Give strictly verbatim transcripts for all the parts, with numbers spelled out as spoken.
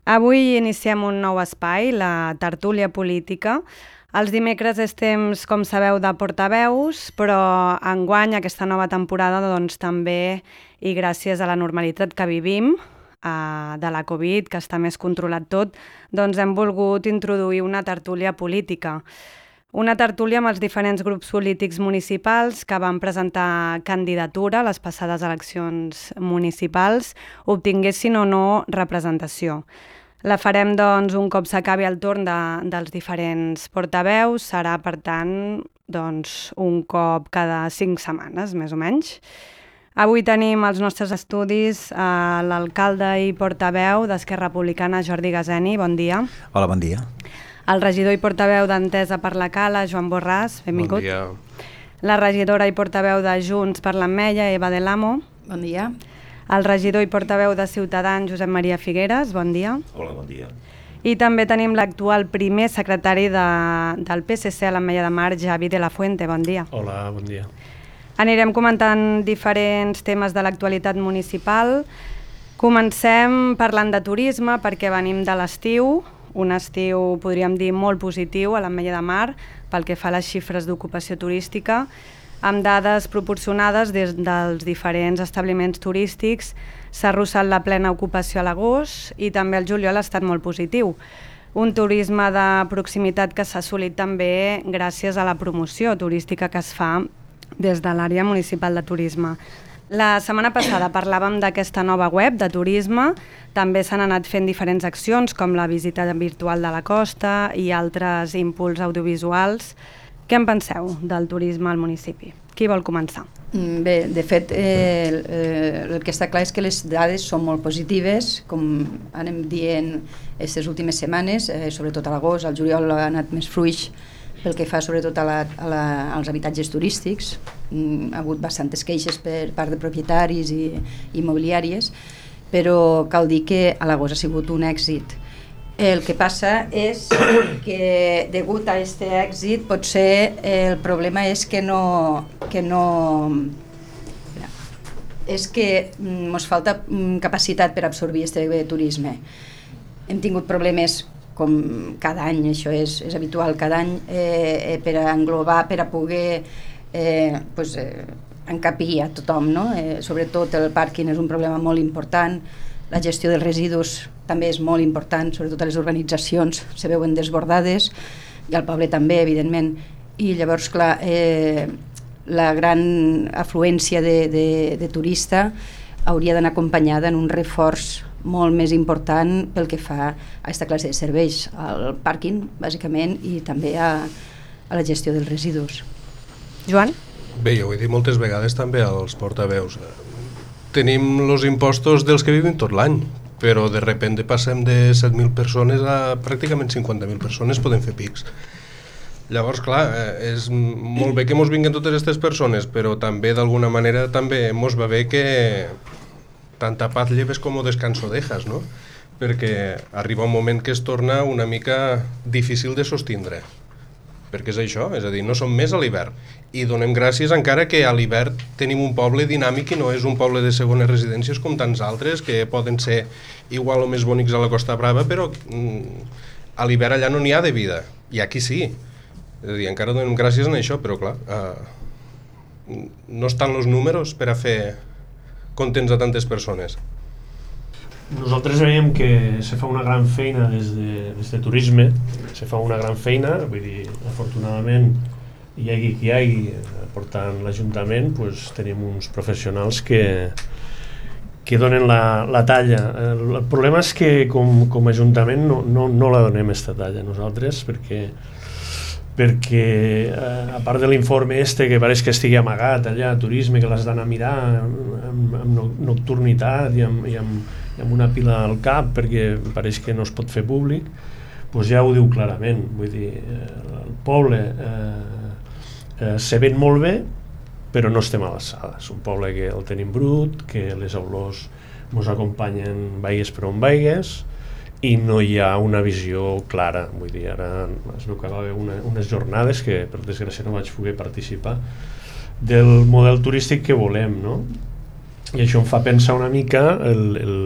Avui iniciem un nou espai, la tertúlia política. Els dimecres és temps, com sabeu, de portaveus, però enguany, aquesta nova temporada, doncs també, i gràcies a la normalitat que vivim, eh, de la Covid, que està més controlat tot, doncs hem volgut introduir una tertúlia política. Una tertúlia amb els diferents grups polítics municipals que van presentar candidatura a les passades eleccions municipals, obtinguessin o no representació. La farem, doncs, un cop s'acabi el torn de, dels diferents portaveus. Serà, per tant, doncs, un cop cada cinc setmanes, més o menys. Avui tenim als nostres estudis eh, l'alcalde i portaveu d'Esquerra Republicana, Jordi Gaseni. Bon dia. Hola, bon dia. El regidor i portaveu d'Entesa per la Cala, Joan Borràs. Benvingut. Bon dia. La regidora i portaveu de Junts per l'Ametlla, Eva Del Amo. Bon dia. El regidor i portaveu de Ciutadans, Josep Maria Figueres. Bon dia. Hola, bon dia. I també tenim l'actual primer secretari de, del P S C a l'Ametlla de Mar, Javi de la Fuente. Bon dia. Hola, bon dia. Anirem comentant diferents temes de l'actualitat municipal. Comencem parlant de turisme perquè venim de l'estiu, un estiu, podríem dir, molt positiu a l'Ametlla de Mar pel que fa a les xifres d'ocupació turística, amb dades proporcionades des dels diferents establiments turístics. S'ha arrossat la plena ocupació a l'agost i també el juliol ha estat molt positiu. Un turisme de proximitat que s'ha assolit també gràcies a la promoció turística que es fa des de l'àrea municipal de turisme. La setmana passada parlàvem d'aquesta nova web de turisme, també s'han anat fent diferents accions com la visita virtual de la costa i altres impuls audiovisuals. Què en penseu del turisme al municipi? Qui vol començar? Bé, de fet, eh, eh, el que està clar és que les dades són molt positives, com anem dient aquestes últimes setmanes, eh, sobretot a l'agost, al juliol ha anat més fluix pel que fa sobretot a la, a la, als habitatges turístics. Mm, ha hagut bastantes queixes per part de propietaris i immobiliàries, però cal dir que a l'agost ha sigut un èxit. El que passa és que degut a aquest èxit potser el problema és que no, que no és que ens falta capacitat per absorbir aquest turisme. Hem tingut problemes com cada any, això és, és habitual, cada any eh, per a englobar, per a poder eh, pues, eh, encapir a tothom, no? Eh, sobretot el pàrquing és un problema molt important, la gestió dels residus també és molt important, sobretot a les urbanitzacions se veuen desbordades i al poble també, evidentment, i llavors, clar, eh, la gran afluència de, de, de turista hauria d'anar acompanyada en un reforç molt més important pel que fa a aquesta classe de serveis, al pàrquing, bàsicament, i també a, a la gestió dels residus. Joan? Bé, jo ho he dit moltes vegades també als portaveus. Tenim els impostos dels que vivim tot l'any, però de repente passem de set mil persones a pràcticament cinquanta mil persones, podem fer pics. Llavors, clar, és molt bé que mos vinguen totes aquestes persones, però també d'alguna manera també mos va bé que tanta paz lleves com descanso dejas, no? Perquè arriba un moment que es torna una mica difícil de sostindre, perquè és això, és a dir, no som més a l'hivern, i donem gràcies encara que a l'hivern tenim un poble dinàmic i no és un poble de segones residències com tants altres que poden ser igual o més bonics a la Costa Brava, però mm, a l'hivern allà no n'hi ha de vida, i aquí sí. És a dir, encara donem gràcies en això, però clar, eh, no estan els números per a fer contents a tantes persones. Nosaltres veiem que se fa una gran feina des de, des de turisme, se fa una gran feina, vull dir, afortunadament, hi hagi qui hi hagi, portant l'Ajuntament, pues, tenim uns professionals que, que donen la, la talla. El, el problema és que com, com a Ajuntament no, no, no la donem aquesta talla nosaltres, perquè perquè eh, a part de l'informe este que pareix que estigui amagat allà, turisme, que l'has d'anar a mirar amb, amb nocturnitat i amb, i, amb, i amb una pila al cap perquè pareix que no es pot fer públic, doncs ja ho diu clarament. Vull dir, eh, el poble eh, eh, se ven molt bé, però no estem a l'alçada. És un poble que el tenim brut, que les olors ens acompanyen vaigues per on vaigues, i no hi ha una visió clara. Vull dir, ara es veu que va haver una, unes jornades que per desgràcia no vaig poder participar del model turístic que volem, no? I això em fa pensar una mica el, el,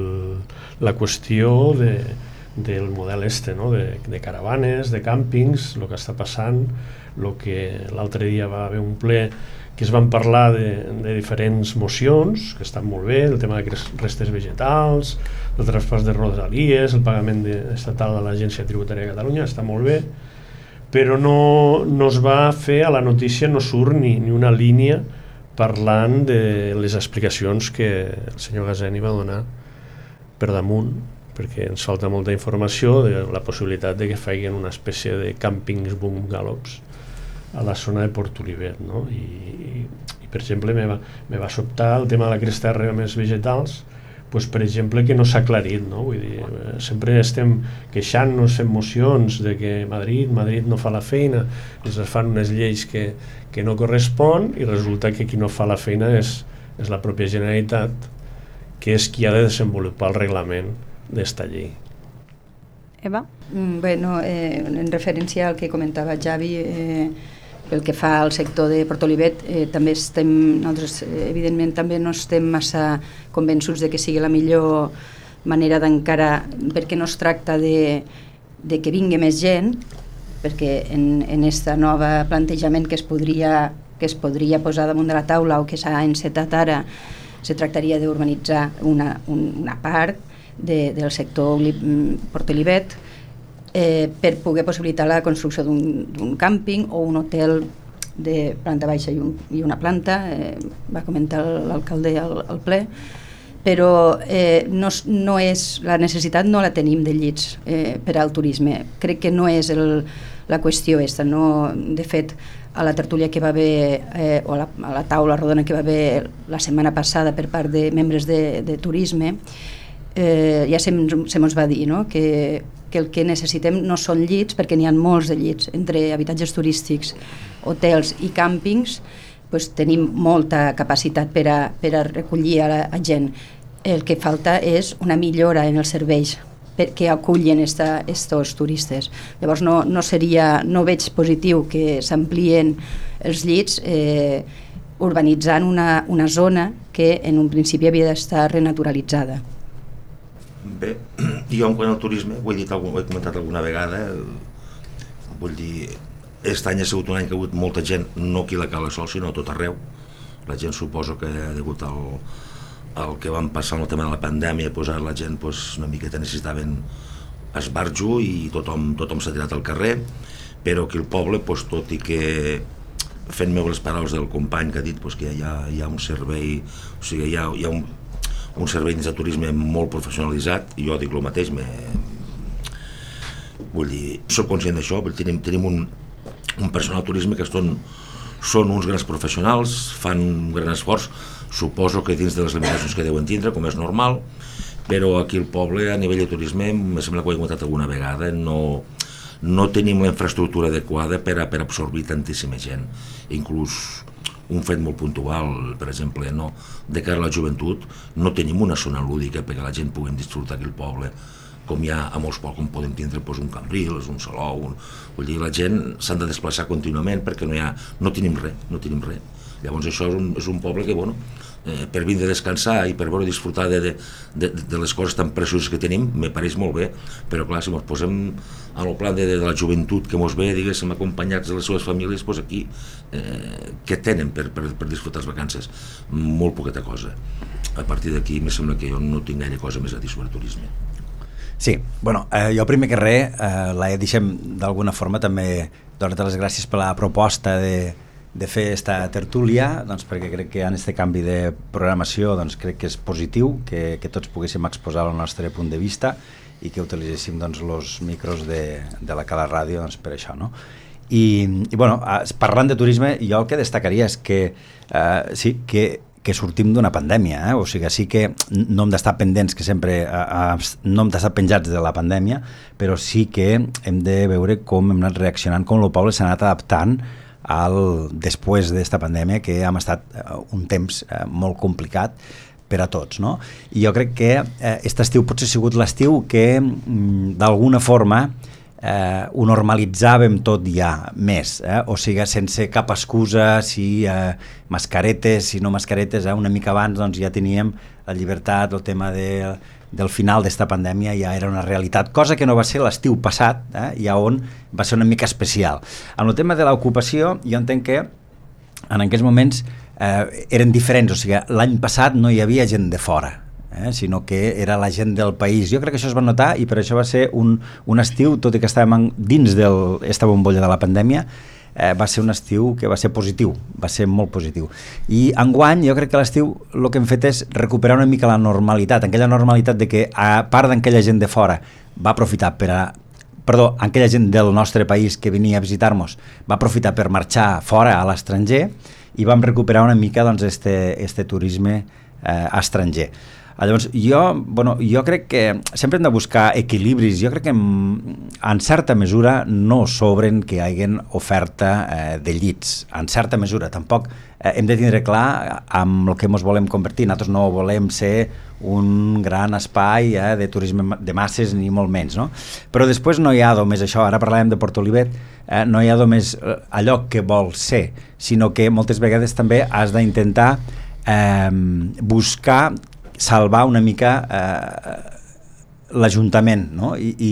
la qüestió de, del model este, no? de, de caravanes, de càmpings, el que està passant, el que l'altre dia va haver un ple que es van parlar de, de diferents mocions, que estan molt bé, el tema de restes vegetals, el traspàs de rodalies, el pagament de, estatal a l'Agència Tributària de Catalunya, està molt bé, però no, no es va fer, a la notícia no surt ni, ni una línia parlant de les explicacions que el senyor Gaseni va donar per damunt, perquè ens falta molta informació de la possibilitat de que facin una espècie de càmpings bungalows a la zona de Port Olivet, no? I, i, i per exemple me va, me va sobtar el tema de la cresta de més vegetals, pues, per exemple, que no s'ha aclarit, no? Vull dir, sempre estem queixant-nos, fent mocions de que Madrid, Madrid no fa la feina, ens fan unes lleis que, que no correspon i resulta que qui no fa la feina és, és la pròpia Generalitat, que és qui ha de desenvolupar el reglament d'esta llei. Eva? Mm, Bueno, eh, en referència al que comentava Javi, eh, pel que fa al sector de Port Olivet, eh, també estem, nosaltres eh, evidentment també no estem massa convençuts de que sigui la millor manera d'encarar, perquè no es tracta de, de que vingui més gent, perquè en, en este nou plantejament que es podria que es podria posar damunt de la taula o que s'ha encetat ara, se tractaria d'urbanitzar una, un, una part de, del sector Port Olivet, eh, per poder possibilitar la construcció d'un càmping o un hotel de planta baixa i, un, i una planta, eh, va comentar l'alcalde al, al ple, però eh, no, no és, la necessitat no la tenim de llits eh, per al turisme. Crec que no és el, la qüestió esta. No, de fet, a la tertúlia que va haver, eh, o a la, a la taula rodona que va haver la setmana passada per part de membres de, de turisme, eh, ja se, se mos va dir, no? que, que el que necessitem no són llits, perquè n'hi ha molts de llits, entre habitatges turístics, hotels i càmpings, pues, tenim molta capacitat per a, per a recollir a la a gent. El que falta és una millora en els serveis que acullen aquests turistes. Llavors no, no, seria, no veig positiu que s'amplien els llits eh, urbanitzant una, una zona que en un principi havia d'estar renaturalitzada. Bé, jo en quant al turisme, ho he dit, ho he comentat alguna vegada, vull dir, aquest any ha sigut un any que ha hagut molta gent, no aquí a la Cala Sol, sinó a tot arreu. La gent suposo que ha hagut el, el que van passar amb el tema de la pandèmia, pues ara la gent pues, una miqueta necessitaven esbarjo i tothom, tothom s'ha tirat al carrer, però aquí al poble, pues, tot i que fent meu les paraules del company que ha dit pues, que hi ha, hi ha un servei, o sigui, hi ha, hi ha un, un servei de turisme molt professionalitzat, i jo dic el mateix, me, vull dir, soc conscient d'això, tenim, tenim un, un personal turisme que són, són uns grans professionals, fan un gran esforç, suposo que dins de les limitacions que deuen tindre, com és normal, però aquí al poble, a nivell de turisme, em sembla que ho he comentat alguna vegada, no, no tenim la infraestructura adequada per, a, per absorbir tantíssima gent. Inclús un fet molt puntual, per exemple, no, de cara a la joventut, no tenim una zona lúdica perquè la gent pugui disfrutar aquí al poble, com hi ha a molts pobles, com podem tindre doncs, un Cambrils, un Salou, un... vull dir, la gent s'han de desplaçar contínuament perquè no, hi ha, no tenim res, no tenim res. Llavors això és un, és un poble que, bueno, eh, per vindre a descansar i per veure disfrutar de, de, de, de les coses tan precioses que tenim, me pareix molt bé, però clar, si ens posem al plan de, de la joventut que mos ve, diguéssim, acompanyats de les seves famílies, doncs aquí, eh, què tenen per, per, per disfrutar les vacances? Molt poqueta cosa. A partir d'aquí, me sembla que jo no tinc gaire cosa més a dir sobre turisme. Sí, bueno, eh, jo primer que res, eh, la deixem d'alguna forma també donar-te les gràcies per la proposta de, de fer esta tertúlia, doncs, perquè crec que en aquest canvi de programació doncs, crec que és positiu, que, que tots poguéssim exposar el nostre punt de vista i que utilitzéssim doncs, els micros de, de la Cala Ràdio doncs, per això, no? I, i bueno, parlant de turisme, jo el que destacaria és que eh, sí, que que sortim d'una pandèmia, eh? O sigui, sí que no hem d'estar pendents, que sempre eh, no hem d'estar penjats de la pandèmia, però sí que hem de veure com hem anat reaccionant, com el poble s'ha anat adaptant al, després d'esta pandèmia, que hem estat eh, un temps eh, molt complicat per a tots, no? I jo crec que eh, aquest estiu potser ha sigut l'estiu que mm, d'alguna forma Eh, ho normalitzàvem tot ja més, eh? O sigui, sense cap excusa, si eh, mascaretes, si no mascaretes, eh? Una mica abans doncs, ja teníem la llibertat, el tema de del final d'esta pandèmia ja era una realitat, cosa que no va ser l'estiu passat, eh, i on va ser una mica especial. En el tema de l'ocupació, jo entenc que en aquells moments eh, eren diferents, o sigui, l'any passat no hi havia gent de fora, eh, sinó que era la gent del país. Jo crec que això es va notar i per això va ser un, un estiu, tot i que estàvem dins d'esta bombolla de la pandèmia, Eh, va ser un estiu que va ser positiu, va ser molt positiu. I enguany jo crec que l'estiu el que hem fet és recuperar una mica la normalitat, aquella normalitat de que a part d'aquella gent de fora va aprofitar per a, perdó, aquella gent del nostre país que venia a visitar-nos va aprofitar per marxar fora a l'estranger i vam recuperar una mica doncs este, este turisme eh, estranger. Llavors, jo, bueno, jo crec que sempre hem de buscar equilibris. Jo crec que en, en certa mesura no sobren que hi hagi oferta eh, de llits, en certa mesura. Tampoc eh, hem de tindre clar amb el que ens volem convertir. Nosaltres no volem ser un gran espai eh, de turisme de masses ni molt menys, no? Però després no hi ha només això, ara parlàvem de Portolivet, eh, no hi ha només allò que vols ser, sinó que moltes vegades també has d'intentar eh, buscar salvar una mica eh, l'Ajuntament, no? I, i,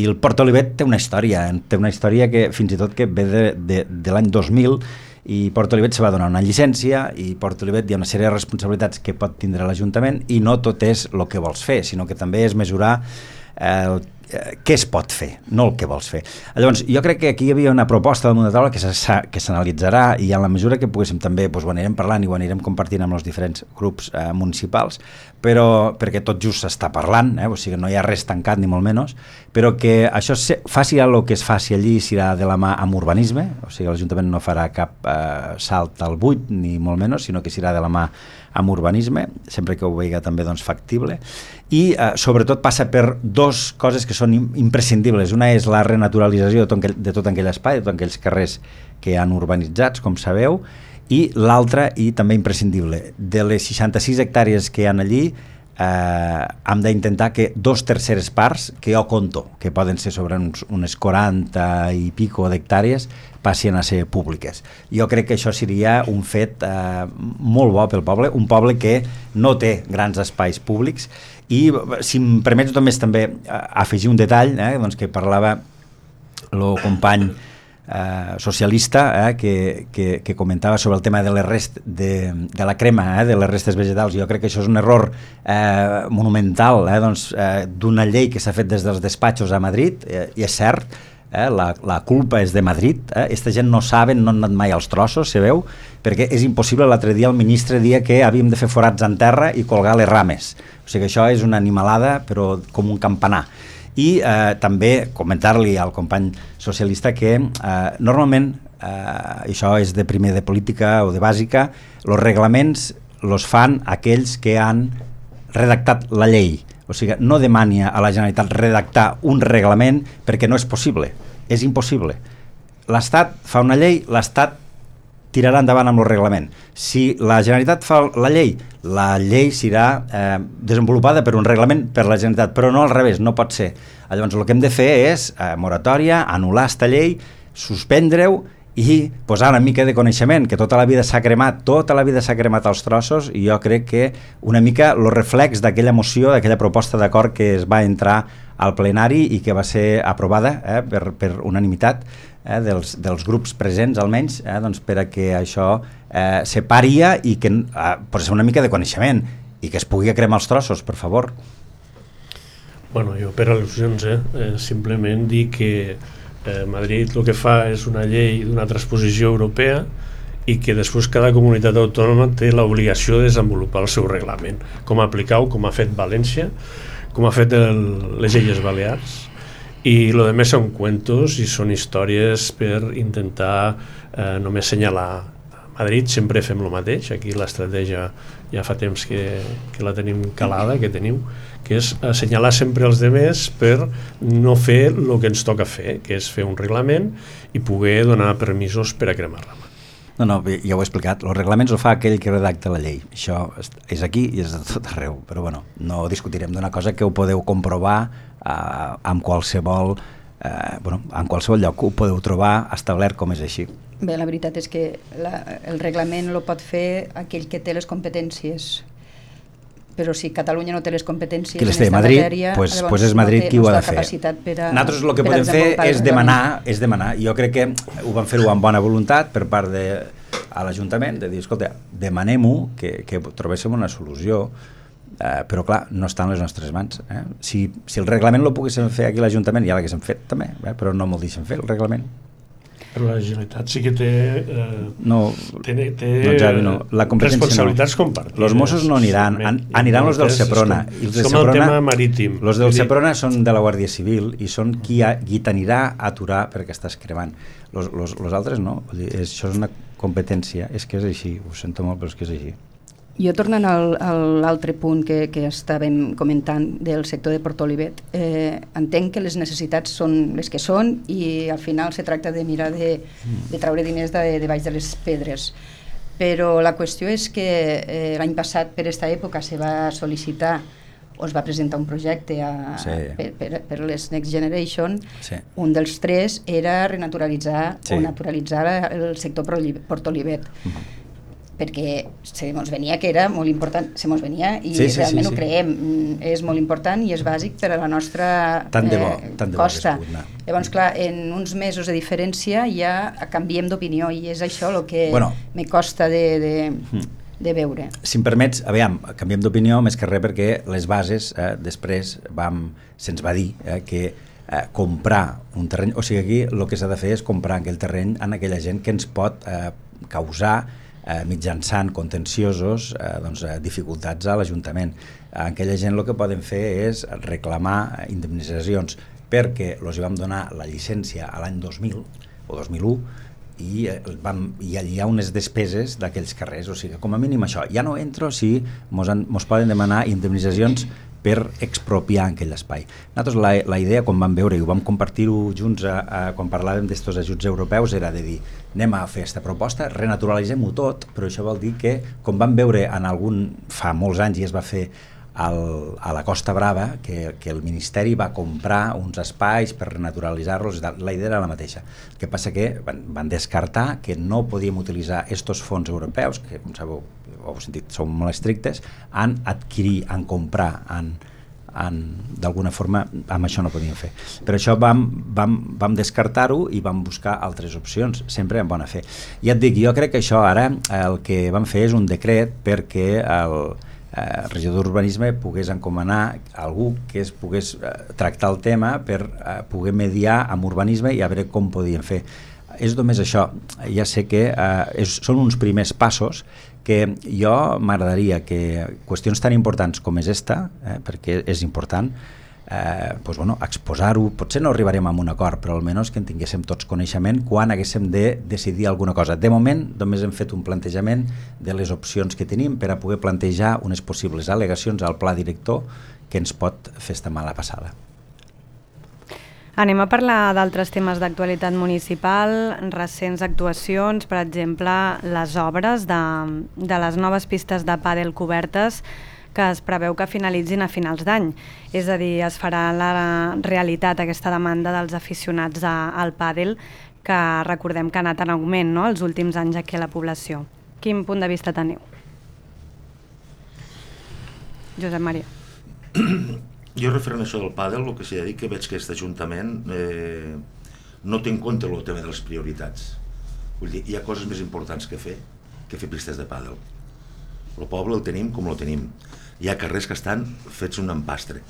i el Port Olivet té una història, té una història que fins i tot que ve de, de, de l'any dos mil, i Port Olivet se va donar una llicència i Port Olivet hi ha una sèrie de responsabilitats que pot tindre l'Ajuntament i no tot és el que vols fer, sinó que també és mesurar eh, què es pot fer, no el que vols fer. Llavors, jo crec que aquí hi havia una proposta damunt de taula que s'analitzarà i en la mesura que poguéssim també doncs, ho anirem parlant i ho anirem compartint amb els diferents grups eh, municipals, però perquè tot just s'està parlant, eh, o sigui, no hi ha res tancat ni molt menys, però que això se, faci el que es faci allí serà de la mà amb urbanisme, o sigui, l'Ajuntament no farà cap eh, salt al buit ni molt menys, sinó que serà de la mà amb urbanisme, sempre que ho veiga també doncs, factible, i eh, sobretot passa per dos coses que són imprescindibles. Una és la renaturalització de tot aquell, de tot aquell espai, de tots aquells carrers que han urbanitzats, com sabeu, i l'altra, i també imprescindible, de les seixanta-sis hectàrees que hi ha allí, eh, hem d'intentar que dos terceres parts, que jo conto, que poden ser sobre uns, unes quaranta i pico d'hectàrees, passin a ser públiques. Jo crec que això seria un fet eh, molt bo pel poble, un poble que no té grans espais públics, i si em permets només també afegir un detall, eh, doncs que parlava el company eh, socialista eh, que, que, que comentava sobre el tema de, les rest, de, de la crema, eh, de les restes vegetals. Jo crec que això és un error eh, monumental eh, doncs, eh, d'una llei que s'ha fet des dels despatxos a Madrid, eh, i és cert, Eh, la, la culpa és de Madrid, eh? Esta gent no saben, no han anat mai als trossos, se veu, perquè és impossible. L'altre dia el ministre dia que havíem de fer forats en terra i colgar les rames, o sigui que això és una animalada però com un campanar. I eh, també comentar-li al company socialista que eh, normalment, eh, això és de primer de política o de bàsica, els reglaments els fan aquells que han redactat la llei. O sigui, no demani a la Generalitat redactar un reglament perquè no és possible, és impossible. L'Estat fa una llei, l'Estat tirarà endavant amb el reglament. Si la Generalitat fa la llei, la llei serà eh, desenvolupada per un reglament per la Generalitat, però no al revés, no pot ser. Llavors el que hem de fer és eh, moratòria, anul·lar esta llei, suspendre-ho i posar una mica de coneixement, que tota la vida s'ha cremat, tota la vida s'ha cremat als trossos, i jo crec que una mica el reflex d'aquella moció, d'aquella proposta d'acord que es va entrar al plenari i que va ser aprovada eh, per, per unanimitat eh, dels, dels grups presents almenys, eh, doncs per a que això eh, se paria i que eh, posa una mica de coneixement i que es pugui cremar els trossos, per favor. Bueno, jo per al·lusions, eh, eh, simplement dir que Eh, Madrid el que fa és una llei d'una transposició europea i que després cada comunitat autònoma té l'obligació de desenvolupar el seu reglament, com aplicar-ho, com ha fet València, com ha fet el, les Illes Balears, i el que més són cuentos i són històries per intentar eh, només assenyalar. A Madrid sempre fem el mateix, aquí l'estratègia ja fa temps que, que la tenim calada, que teniu, que és assenyalar sempre els demés per no fer el que ens toca fer, que és fer un reglament i poder donar permisos per a cremar rama. No, no, ja ho he explicat, els reglaments ho fa aquell que redacta la llei, això és aquí i és a tot arreu, però bueno, no discutirem d'una cosa que ho podeu comprovar eh, amb qualsevol eh, bueno, en qualsevol lloc ho podeu trobar establert com és així. Bé, la veritat és que la, el reglament el pot fer aquell que té les competències però si Catalunya no té les competències qui les en té, aquesta Madrid, matèria, pues, llavors pues és Madrid no té, qui ho ha no de fer. capacitat per a, Nosaltres el que per a podem fer desenvolupar és el demanar, reglament. és demanar. Jo crec que ho van fer-ho amb bona voluntat per part de a l'Ajuntament, de dir, escolta, demanem-ho, que, que trobéssim una solució, eh, però clar, no està en les nostres mans. Eh? Si, si el reglament lo poguéssim fer aquí a l'Ajuntament, ja l'haguéssim fet també, eh? però no m'ho deixen fer, el reglament. Però la Generalitat sí que té, eh, no, té, té no, Javi, no. La responsabilitats no. compartides. Los Mossos no aniran, an, aniran els del Seprona. És com, I els és del com Seprona, el tema marítim. Els del Seprona són de la Guàrdia Civil i són qui, ha, qui t'anirà a aturar perquè estàs cremant. Los, los, los altres no. Vull dir, és, això és una competència. És que és així, ho sento molt, però és que és així. Jo tornant al, a l'altre punt que, que estàvem comentant del sector de Portolivet, eh, entenc que les necessitats són les que són i al final se tracta de mirar de, de traure diners de, de baix de les pedres. Però la qüestió és que eh, l'any passat per aquesta època se va sol·licitar o es va presentar un projecte a, sí. per, per, per les Next Generation. Sí. Un dels tres era renaturalitzar sí. o naturalitzar el sector Portolivet. Uh-huh. perquè se mos venia que era molt important, se mos venia i sí, sí, realment sí, sí. ho creiem, és molt important i és bàsic per a la nostra tant de bo, eh, tant de costa. Bo Llavors, clar, en uns mesos de diferència ja canviem d'opinió i és això el que bueno, me costa de, de, de veure. Si em permets, aviam, canviem d'opinió més que res perquè les bases, eh, després vam, se'ns va dir eh, que eh, comprar un terreny, o sigui aquí el que s'ha de fer és comprar aquell terreny en aquella gent que ens pot eh, causar Eh, mitjançant contenciosos eh, doncs, eh, dificultats a l'Ajuntament. Eh, aquella gent el que poden fer és reclamar indemnitzacions perquè els vam donar la llicència a l'any dos mil o dos mil u i, eh, vam, i allà hi ha unes despeses d'aquells carrers, o sigui, com a mínim això. Ja no entro si mos, han, mos poden demanar indemnitzacions per expropiar aquell espai. Nosaltres la, la idea, quan vam veure i ho vam compartir-ho junts a, a, quan parlàvem d'estos ajuts europeus, era de dir, anem a fer aquesta proposta, renaturalitzem-ho tot, però això vol dir que, com vam veure en algun, fa molts anys i es va fer al, a la Costa Brava, que, que el Ministeri va comprar uns espais per renaturalitzar-los, la idea era la mateixa. El que passa que van, van descartar que no podíem utilitzar estos fons europeus, que com sabeu, ho heu sentit, són molt estrictes, en adquirir, en comprar, en, en, d'alguna forma, amb això no podíem fer. Per això vam, vam, vam descartar-ho i vam buscar altres opcions, sempre en bona fe. Ja et dic, jo crec que això ara el que vam fer és un decret perquè el eh, regidor d'Urbanisme pogués encomanar algú que es pogués eh, tractar el tema per eh, poder mediar amb urbanisme i a veure com podíem fer. És només això, ja sé que eh, és, són uns primers passos que jo m'agradaria que qüestions tan importants com és esta, eh, perquè és important, eh, doncs, bueno, exposar-ho, potser no arribarem a un acord, però almenys que en tinguéssim tots coneixement quan haguéssim de decidir alguna cosa. De moment només hem fet un plantejament de les opcions que tenim per a poder plantejar unes possibles al·legacions al pla director que ens pot fer esta mala passada. Anem a parlar d'altres temes d'actualitat municipal, recents actuacions, per exemple, les obres de, de les noves pistes de pàdel cobertes que es preveu que finalitzin a finals d'any. És a dir, es farà la realitat aquesta demanda dels aficionats a, al pàdel, que recordem que ha anat en augment, no?, els últims anys aquí a la població. Quin punt de vista teniu? Josep Maria. Jo referent a això del pàdel, el que s'ha de dir que veig que aquest Ajuntament eh, no té en compte el tema de les prioritats. Vull dir, hi ha coses més importants que fer que fer pistes de pàdel. El poble el tenim com el tenim. Hi ha carrers que estan fets un empastre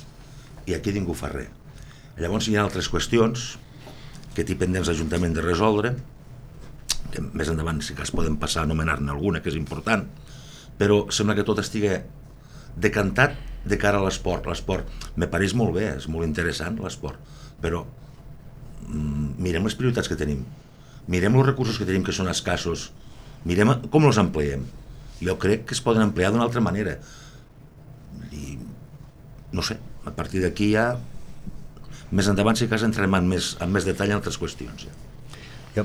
i aquí ningú fa res. Llavors hi ha altres qüestions que té pendents l'Ajuntament de resoldre, que més endavant sí que es poden passar a anomenar-ne alguna, que és important, però sembla que tot estigui decantat de cara a l'esport. L'esport me pareix molt bé, és molt interessant l'esport, però mm, mirem les prioritats que tenim, mirem els recursos que tenim que són escassos, mirem com els ampliem. Jo crec que es poden ampliar d'una altra manera i no sé, a partir d'aquí ja més endavant sí que entrarem en més, en més detall en altres qüestions. Ja. Jo,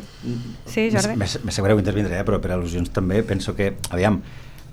sí, Jordi. M'assegureu intervindré, eh, però per al·lusions també penso que, aviam,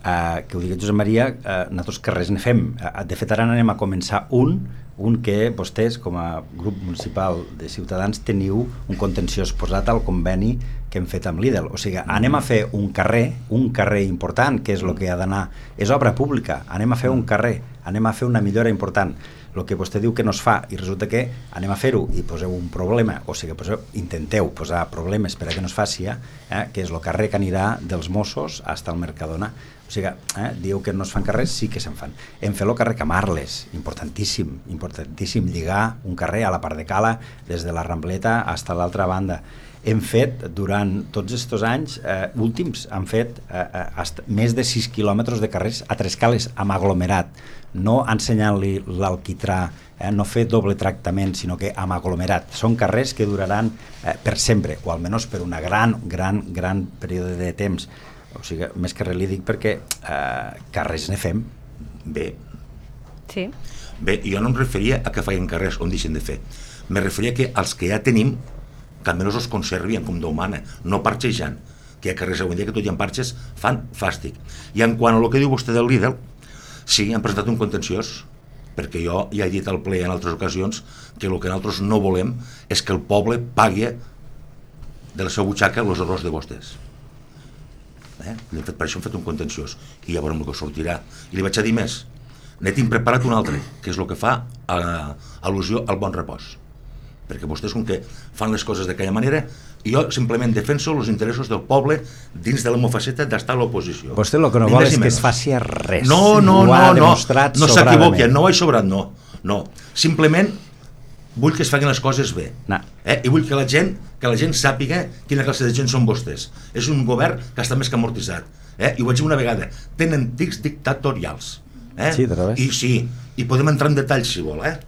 Uh, que ho digui Josep Maria, uh, nosaltres carrers ne fem. Uh, de fet, ara anem a començar un Un que vostès, com a grup municipal de Ciutadans, teniu un contenciós posat al conveni que hem fet amb Lidl. O sigui, anem a fer un carrer, un carrer important, que és el que ha d'anar, és obra pública, anem a fer un carrer, anem a fer una millora important. El que vostè diu que no es fa, i resulta que anem a fer-ho i poseu un problema, o sigui, poseu, intenteu posar problemes per a que no es faci, eh, que és el carrer que anirà dels Mossos fins al Mercadona. O sigui, eh, diu que no es fan carrers, sí que se'n fan. Hem fet el carrer Camarles, importantíssim, importantíssim, lligar un carrer a la part de Cala, des de la Rambleta fins a l'altra banda. Hem fet, durant tots aquests anys eh, últims, han fet eh, hasta més de sis quilòmetres de carrers a tres cales, amb aglomerat, no ensenyant-li l'alquitrà, eh, no fer doble tractament, sinó que amb aglomerat. Són carrers que duraran eh, per sempre, o almenys per una gran, gran, gran període de temps. O sigui, més que res li dic perquè eh, carrers ne fem. Bé. Sí. Bé, jo no em referia a que feien carrers on deixen de fer. Me referia que els que ja tenim, que almenys els conservien com d'humana, no parxejant, que hi ha carrers avui dia que tot hi ha parxes, fan fàstic. I en quant a el que diu vostè del Lidl, sí, han presentat un contenciós, perquè jo ja he dit al ple en altres ocasions que el que nosaltres no volem és que el poble pagui de la seva butxaca els errors de vostès. Eh? Fet, per això hem fet un contenciós i ja veurem el que sortirà. I li vaig a dir més, ne tinc preparat un altre, que és el que fa a, al·lusió al bon repòs, perquè vostès com que fan les coses d'aquella manera i jo simplement defenso els interessos del poble dins de la meva faceta d'estar a l'oposició. Vostè el que no vol és que es faci res. No, no, no, no, no s'equivoqui, no ho he sobrat, no, no. Simplement vull que es facin les coses bé, no. eh? I vull que la gent que la gent sàpiga quina classe de gent són vostès. És un govern que està més que amortitzat, eh? I ho vaig dir una vegada, tenen tics dictatorials, eh? Sí, i sí, i podem entrar en detalls si vol, eh?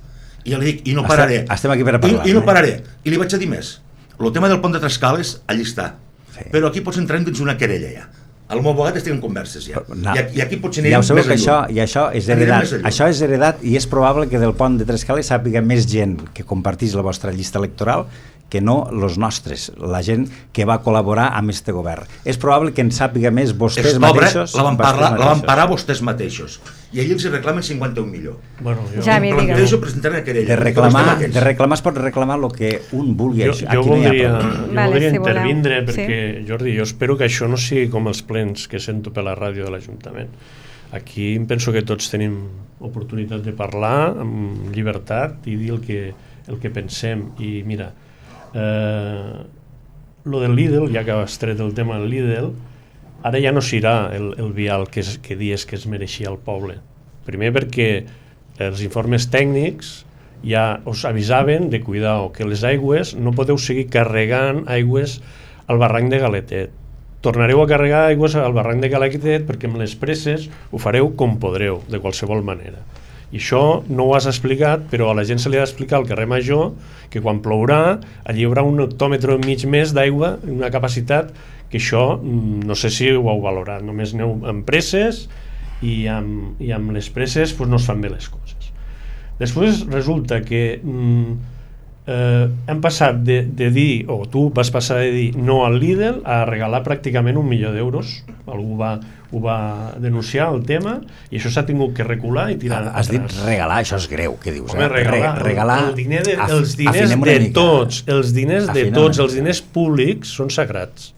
I ja li dic, i no pararé. Estem aquí per a parlar. I, i no pararé. I li vaig a dir més, el tema del pont de Trescales allí està, sí. Però aquí pots entrar dins una querella ja. El meu abogat estic en converses ja. No. I, I aquí potser anirem ja més enllà. Això, I això és heredat. Això és heredat i és probable que del pont de Trescales sàpiga més gent que compartís la vostra llista electoral que no els nostres, la gent que va col·laborar amb este govern. És probable que en sàpiga més vostès Esta mateixos. La van, parlar, la van parar vostès mateixos. I allí els reclamen cinquanta-un milions. Bueno, jo... Ja, em plantejo presentar una querella. De reclamar, de reclamar es pot reclamar el que un vulgui. Jo, jo Aquí voldria, no jo vale, voldria si intervindre voleu. perquè, Sí. Jordi, jo espero que això no sigui com els plens que sento per la ràdio de l'Ajuntament. Aquí em penso que tots tenim oportunitat de parlar amb llibertat i dir el que, el que pensem. I mira, eh, lo del Lidl, ja que has tret el tema del Lidl, ara ja no serà el, el vial que, es, que dies que es mereixia el poble. Primer perquè els informes tècnics ja us avisaven de cuidar que les aigües no podeu seguir carregant aigües al barranc de Galetet. Tornareu a carregar aigües al barranc de Galetet perquè amb les presses ho fareu com podreu, de qualsevol manera. I això no ho has explicat, però a la gent se li ha d'explicar al carrer Major que quan plourà allí hi haurà un hectòmetre mig més d'aigua, una capacitat que això no sé si ho heu valorat, només aneu amb presses i amb, i amb les presses pues, no es fan bé les coses. Després resulta que mm, eh, hem passat de, de dir, o tu vas passar de dir no al Lidl a regalar pràcticament un milió d'euros. Algú va, ho va denunciar el tema i això s'ha tingut que recular i tirar ah, has atrás. dit regalar, això és greu, què dius? Home, eh? regalar, Re, regalar el diner de, af, els diners de tots, els diners de tots, els diners públics són sagrats.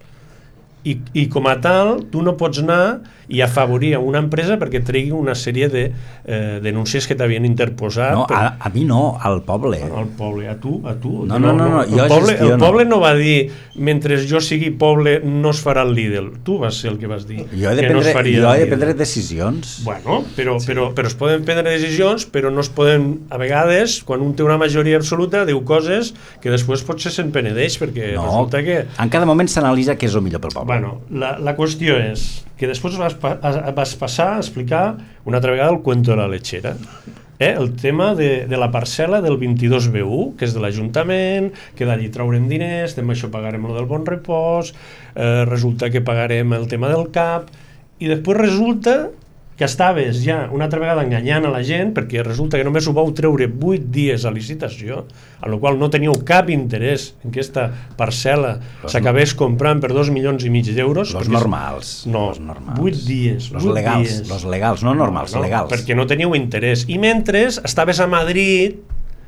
I, i com a tal, tu no pots anar i afavorir a una empresa perquè tregui una sèrie de eh, denúncies que t'havien interposat. No, per... a, a mi no, al poble. Al poble, a tu, a tu. No, no, no, no, el, jo poble, gestiono. el poble no va dir mentre jo sigui poble no es farà el Lidl. Tu vas ser el que vas dir. Jo he de que prendre, no es faria jo he el de prendre Lidl. decisions. Bueno, però, sí. però, però es poden prendre decisions, però no es poden, a vegades, quan un té una majoria absoluta, diu coses que després potser se'n penedeix, perquè No, resulta que... en cada moment s'analitza què és el millor pel poble. Bueno, la, la qüestió és que després vas, pa, vas passar a explicar una altra vegada el cuento de la lechera. Eh? El tema de, de la parcel·la del vint-i-dos B u, que és de l'Ajuntament, que d'allí traurem diners, amb això pagarem el del bon repòs, eh, resulta que pagarem el tema del C A P, i després resulta que estaves ja una altra vegada enganyant a la gent, perquè resulta que només ho vau treure vuit dies a licitació, en la qual no teníeu cap interès en que aquesta parcel·la s'acabés comprant per dos milions i mig d'euros. Los normals. No, vuit dies. Los legals, los legals, no normals, no, no, legals. Perquè no teníeu interès. I mentre estaves a Madrid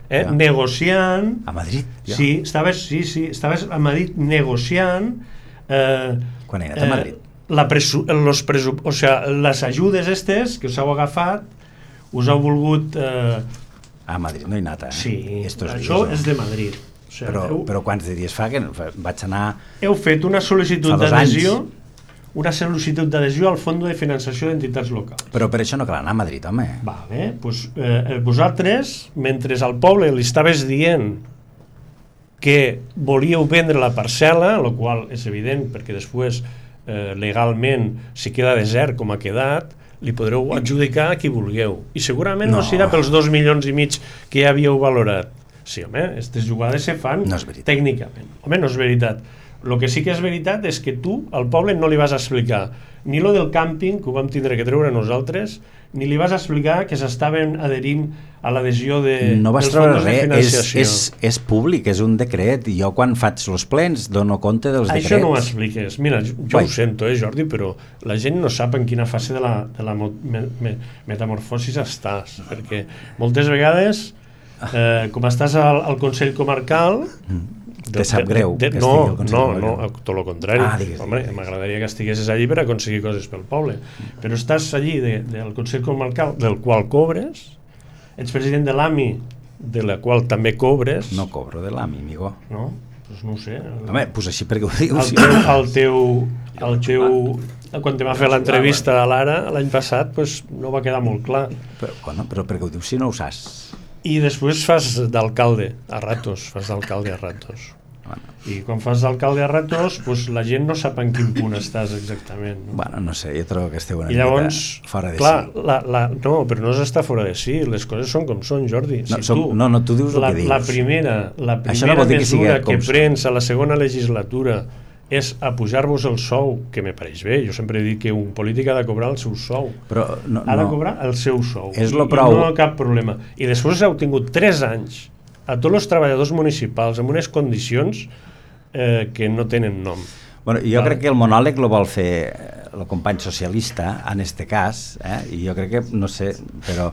eh, ja. negociant... A Madrid? Ja. Sí, estaves, sí, sí, estaves a Madrid negociant... Eh, Quan he anat a Madrid? Eh, La presu los presu o sea, les ajudes estes que us heu agafat us heu volgut eh... a Madrid no he anat, eh? Sí, Estos això dies, és de Madrid, o sea, però, heu... però quants de dies fa que vaig anar heu fet una sol·licitud d'adhesió una sol·licitud d'adhesió al Fons de Finançació d'Entitats Locals, però per això no cal anar a Madrid, home. Vale, pues, eh, vosaltres mentre al poble li estaves dient que volíeu vendre la parcel·la, el qual és evident perquè després Eh, legalment, si queda desert com ha quedat, li podreu adjudicar a qui vulgueu i segurament no, no serà pels dos milions i mig que ja havíeu valorat. Sí, home, aquestes jugades se fan no tècnicament. Home, no és veritat. El que sí que és veritat és que tu al poble no li vas explicar ni lo del càmping, que ho vam tindre que treure nosaltres, ni li vas explicar que s'estaven adherint a l'adhesió de, no vas dels fons de res, financiació. És, és, és públic, és un decret, i jo quan faig els plens dono compte dels Això decrets. Això no ho expliques. Mira, jo, jo ho sento, eh, Jordi, però la gent no sap en quina fase de la, de la me, me, metamorfosis estàs, perquè moltes vegades, eh, com estàs al, al Consell Comarcal... Mm. Te sap greu de, de, que no, estigui al Consell no, Comarcal. no, tot el contrari. Ah, digues, Home, m'agradaria que estiguessis allí per aconseguir coses pel poble. Però estàs allí de, del Consell Comarcal, del qual cobres, ets president de l'A M I, de la qual també cobres... No cobro de l'A M I, amigo. No? Pues no ho sé. El, Home, pues així perquè ho dius. El teu... El teu, el teu quan te va fer l'entrevista a l'Ara l'any passat, pues, no va quedar molt clar. Però, bueno, però perquè ho dius si no ho saps? I després fas d'alcalde a ratos, fas d'alcalde a ratos. Bueno. I quan fas d'alcalde a ratos, pues, la gent no sap en quin punt estàs exactament. No? Bueno, no sé, jo trobo que esteu una I llavors, mica fora de clar, sí. La, la, no, però no s'està fora de sí, les coses són com són, Jordi. No, si som, tu, no, no, tu dius el la, que dius. La primera, la primera no mesura que, que prens a la segona legislatura és a pujar-vos el sou, que me pareix bé. Jo sempre he dit que un polític ha de cobrar el seu sou. Però no, ha de no. cobrar el seu sou. És I, lo prou. I no hi ha cap problema. I després heu tingut tres anys a tots els treballadors municipals en unes condicions eh, que no tenen nom. Bueno, jo vale. crec que el monòleg lo vol fer el company socialista, en este cas, eh? I jo crec que, no sé, però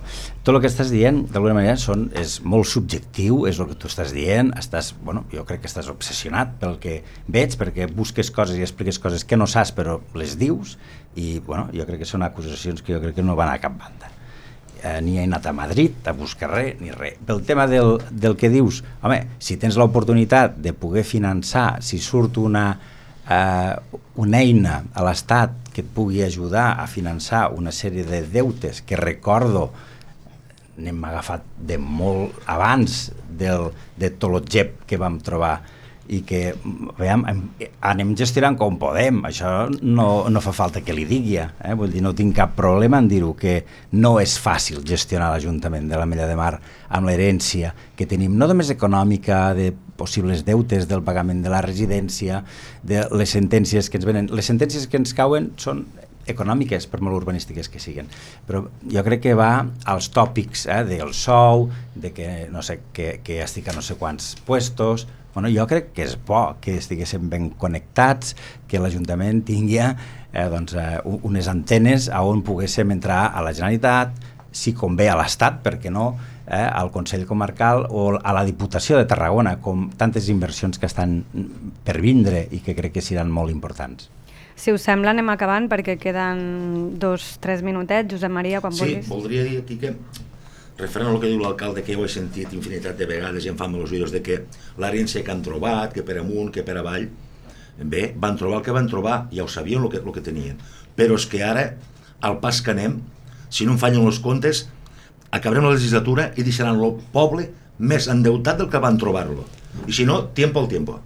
tot el que estàs dient, d'alguna manera, són, és molt subjectiu, és el que tu estàs dient, estàs, bueno, jo crec que estàs obsessionat pel que veig, perquè busques coses i expliques coses que no saps, però les dius, i, bueno, jo crec que són acusacions que jo crec que no van a cap banda. Eh, ni he anat a Madrid a buscar res, ni res. Pel tema del, del que dius, home, si tens l'oportunitat de poder finançar, si surt una Uh, una eina a l'Estat que et pugui ajudar a finançar una sèrie de deutes que recordo n'hem agafat de molt abans del, de tot el gep que vam trobar i que veiem, anem gestionant com podem, això no, no fa falta que li digui, eh? Vull dir, no tinc cap problema en dir-ho, que no és fàcil gestionar l'Ajuntament de l'Ametlla de Mar amb l'herència que tenim, no només econòmica, de possibles deutes del pagament de la residència, de les sentències que ens venen. Les sentències que ens cauen són econòmiques, per molt urbanístiques que siguin, però jo crec que va als tòpics eh, del sou, de que, no sé, que, que estic a no sé quants puestos. Bueno, jo crec que és bo que estiguéssim ben connectats, que l'Ajuntament tingui eh, doncs, eh, unes antenes a on poguéssim entrar a la Generalitat, si convé a l'Estat, perquè no, eh, al Consell Comarcal o a la Diputació de Tarragona, com tantes inversions que estan per vindre i que crec que seran molt importants. Si us sembla, anem acabant perquè queden dos, tres minutets. Josep Maria, quan sí, vulguis. Sí, voldria dir aquí que, referent al que diu l'alcalde, que jo he sentit infinitat de vegades i em fan els oïdos de que l'herència que han trobat, que per amunt, que per avall, bé, van trobar el que van trobar, ja ho sabien el que, el que tenien, però és que ara, al pas que anem, si no em fallen els comptes, acabarem la legislatura i deixaran el poble més endeutat del que van trobar-lo. I si no, tiempo al tiempo.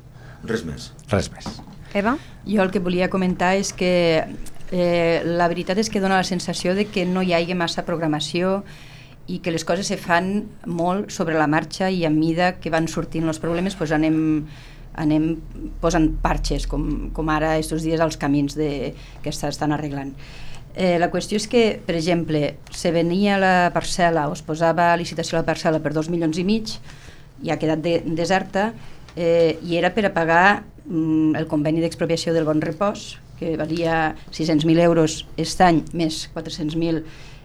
Res més. Res més. Eva? Jo el que volia comentar és que eh, la veritat és que dona la sensació de que no hi hagi massa programació i que les coses se fan molt sobre la marxa i a mida que van sortint els problemes pues anem, anem posant parxes, com, com ara estos dies als camins de, que s'estan arreglant. Eh, la qüestió és que, per exemple, se venia la parcel·la o es posava a licitació la parcel·la per dos milions i mig i ha quedat de, deserta eh, i era per a pagar mm, el conveni d'expropiació del Bon Repòs, que valia sis-cents mil euros aquest any, més quatre-cents mil,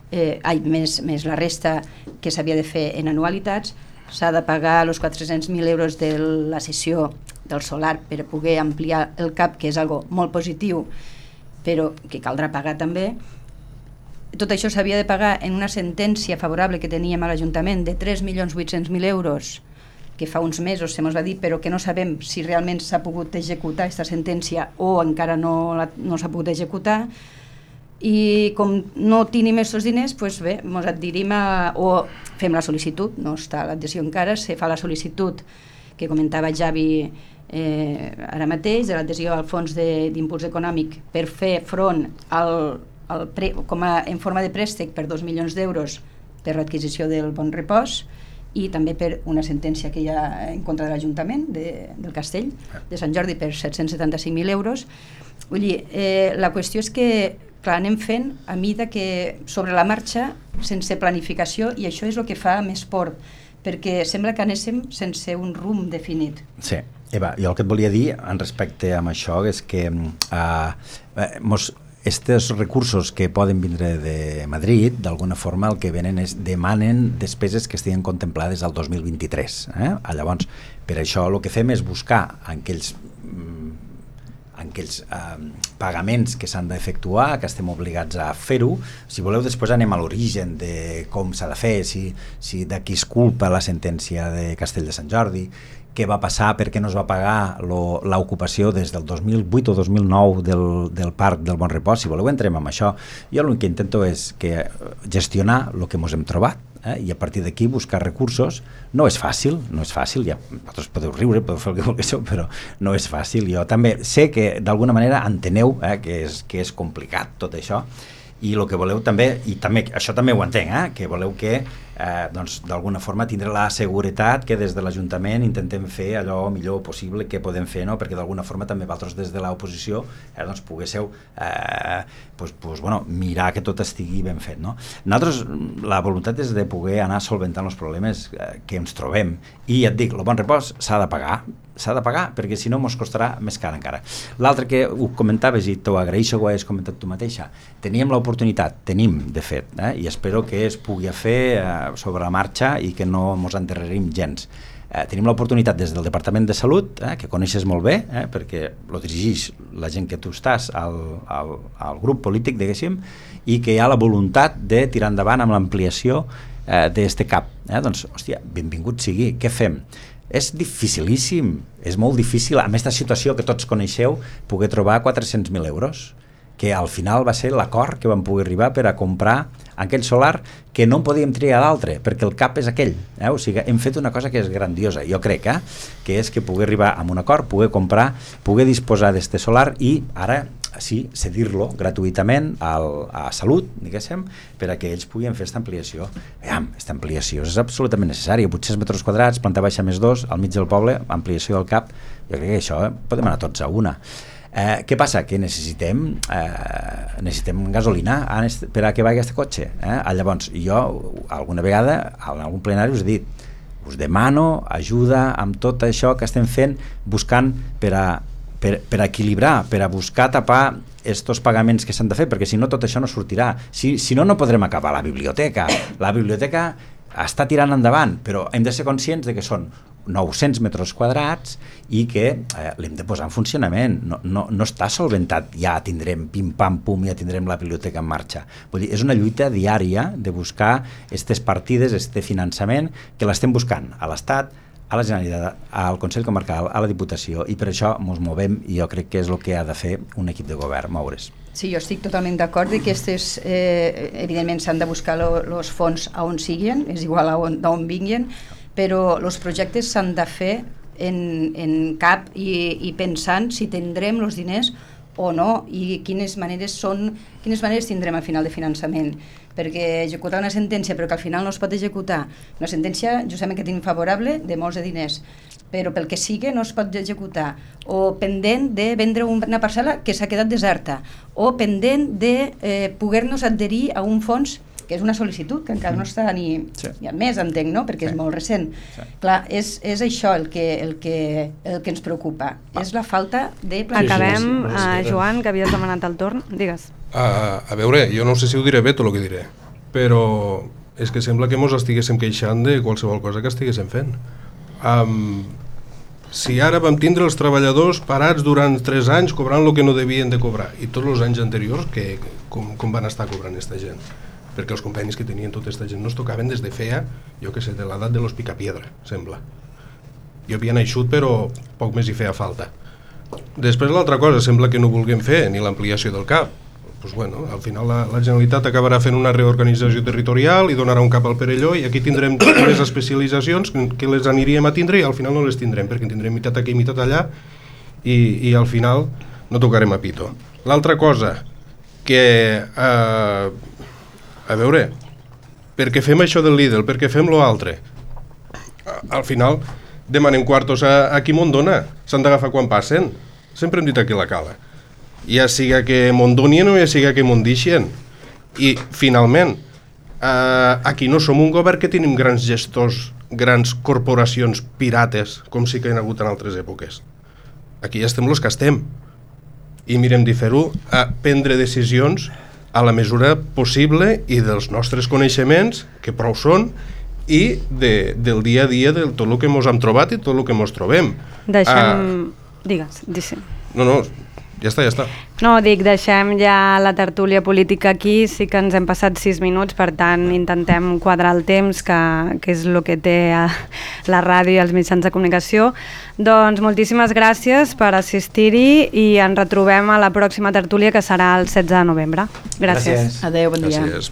eh, ai, més, més la resta que s'havia de fer en anualitats. S'ha de pagar els quatre-cents mil euros de la cessió del solar per a poder ampliar el C A P, que és algo molt positiu, però que caldrà pagar també. Tot això s'havia de pagar en una sentència favorable que teníem a l'Ajuntament de tres milions vuit-cents mil euros, que fa uns mesos se mos va dir, però que no sabem si realment s'ha pogut executar aquesta sentència o encara no, la, no s'ha pogut executar. I com no tenim aquests diners, doncs bé, ens adherim a, o fem la sol·licitud, no està l'adhesió encara, se fa la sol·licitud que comentava Javi eh, ara mateix, de l'adhesió al Fons d'Impuls Econòmic per fer front al, al pre, com a, en forma de préstec per dos milions d'euros per l'adquisició del Bon Repòs i també per una sentència que hi ha en contra de l'Ajuntament de, del Castell de Sant Jordi per set-cents setanta-cinc mil euros. Vull dir, eh, la qüestió és que clar, anem fent a mida que sobre la marxa, sense planificació, i això és el que fa més por, perquè sembla que anéssim sense un rumb definit. Sí, Eva, jo el que et volia dir en respecte amb això és que eh, mos, estos recursos que poden vindre de Madrid, d'alguna forma el que venen és demanen despeses que estiguin contemplades al dos mil vint-i-tres. Eh? Llavors, per això el que fem és buscar aquells aquells eh, pagaments que s'han d'efectuar, que estem obligats a fer-ho. Si voleu, després anem a l'origen de com s'ha de fer, si, si de qui es culpa la sentència de Castell de Sant Jordi, què va passar, per què no es va pagar l'ocupació des del dos mil vuit o dos mil nou del, del parc del Bon Repòs. Si voleu, entrem amb això. Jo el que intento és que gestionar el que ens hem trobat, eh? I a partir d'aquí buscar recursos. No és fàcil, no és fàcil, ja vosaltres podeu riure, podeu fer el que vulgueu, però no és fàcil. Jo també sé que d'alguna manera enteneu eh, que, és, que és complicat tot això, i el que voleu també, i també això també ho entenc, eh, que voleu que eh, doncs, d'alguna forma tindre la seguretat que des de l'Ajuntament intentem fer allò millor possible que podem fer, no? Perquè d'alguna forma també vosaltres des de l'oposició eh, doncs, poguéssiu eh, pues, pues, bueno, mirar que tot estigui ben fet, no? Nosaltres la voluntat és de poder anar solventant els problemes eh, que ens trobem, i ja et dic, el Bon Repòs s'ha de pagar, s'ha de pagar, perquè si no mos costarà més car encara. L'altre que ho comentaves, i t'ho agraeixo que ho hagis comentat tu mateixa, teníem l'oportunitat, tenim de fet, eh, i espero que es pugui fer eh, sobre la marxa i que no mos enterrerim gens. Eh, tenim l'oportunitat des del Departament de Salut, eh, que coneixes molt bé, eh, perquè lo dirigeix la gent que tu estàs al, al, al grup polític, diguéssim, i que hi ha la voluntat de tirar endavant amb l'ampliació eh, d'este C A P. Eh? Doncs, hòstia, benvingut sigui, què fem? És dificilíssim, és molt difícil, amb aquesta situació que tots coneixeu, poder trobar quatre-cents mil euros, que al final va ser l'acord que vam poder arribar per a comprar aquell solar que no en podíem triar d'altre, perquè el cap és aquell. Eh? O sigui, hem fet una cosa que és grandiosa, jo crec, eh? Que és que poder arribar a un acord, poder comprar, poder disposar d'este solar i ara sí, cedir-lo gratuïtament al, a Salut, diguéssim, per a que ells puguin fer aquesta ampliació. Veiem, aquesta ampliació és absolutament necessària, vuit-cents metres quadrats, planta baixa més dos, al mig del poble, ampliació del C A P, jo crec que això eh, podem anar tots a una. Eh, què passa? Que necessitem eh, necessitem gasolina per a que vagi aquest cotxe. Eh? Llavors, jo alguna vegada en algun plenari us he dit, us demano ajuda amb tot això que estem fent, buscant per a Per, per equilibrar, per a buscar tapar estos pagaments que s'han de fer, perquè si no tot això no sortirà. Si, si no, no podrem acabar la biblioteca. La biblioteca està tirant endavant, però hem de ser conscients de que són nou-cents metres quadrats i que eh, l'hem de posar en funcionament. No, no, no està solventat, ja tindrem pim-pam-pum, ja tindrem la biblioteca en marxa. Vull dir, és una lluita diària de buscar aquestes partides, este finançament, que l'estem buscant a l'Estat, a la Generalitat, al Consell Comarcal, a la Diputació, i per això ens movem, i jo crec que és el que ha de fer un equip de govern, moure's. Sí, jo estic totalment d'acord que aquestes, eh, evidentment s'han de buscar els fons a on siguin, és igual a on, d'on vinguin, però els projectes s'han de fer en, en cap i, i pensant si tindrem els diners o no, i quines maneres són, quines maneres tindrem al final de finançament, perquè executar una sentència però que al final no es pot executar, una sentència justament que tenim favorable de molts de diners, però pel que sigui no es pot executar, o pendent de vendre una parcel·la que s'ha quedat deserta, o pendent de eh, poder-nos adherir a un fons que és una sol·licitud, que encara no està ni... Sí. Hi ha més, entenc, no?, perquè sí. és molt recent. Sí. Clar, és, és això el que, el, que, el que ens preocupa, ah. és la falta de planificació. Acabem, sí, sí, sí. Uh, Joan, que havies demanat el torn, digues. Uh, a veure, jo no sé si ho diré bé tot el que diré, però és que sembla que mos estiguéssim queixant de qualsevol cosa que estiguéssim fent. Um, si ara vam tindre els treballadors parats durant tres anys cobrant el que no devien de cobrar, i tots els anys anteriors, que, com, com van estar cobrant aquesta gent? Perquè els convenis que tenien tota aquesta gent no es tocaven des de feia, jo que sé, de l'edat de los Picapiedra, sembla. Jo havia naixut, però poc més hi feia falta. Després l'altra cosa, sembla que no vulguem fer ni l'ampliació del C A P. Pues bueno, al final la, la Generalitat acabarà fent una reorganització territorial i donarà un cap al Perelló, i aquí tindrem les especialitzacions que les aniríem a tindre i al final no les tindrem, perquè tindrem meitat aquí i meitat allà, i, i al final no tocarem a pito. L'altra cosa, que eh, a veure, perquè fem això del Lidl, perquè fem lo altre, al final demanem quartos a, a qui mos dona, s'han d'agafar quan passen, sempre hem dit aquí la cala, ja siga que mos donien o ja siga que mos deixen, i finalment eh, aquí no som un govern que tenim grans gestors, grans corporacions pirates, com sí que hi ha hagut en altres èpoques. Aquí ja estem els que estem, i mirem de fer-ho, a prendre decisions a la mesura possible i dels nostres coneixements, que prou són, i de, del dia a dia de tot el que ens hem trobat i tot el que ens trobem. Deixem... Uh, Digues, digues. No, no, ja està, ja està. No, dic, deixem ja la tertúlia política aquí, sí que ens hem passat sis minuts, per tant intentem quadrar el temps, que, que és el que té la ràdio i els mitjans de comunicació. Doncs moltíssimes gràcies per assistir-hi i ens retrobem a la pròxima tertúlia, que serà el setze de novembre. Gràcies. Gràcies. Adéu, bon dia. Gràcies.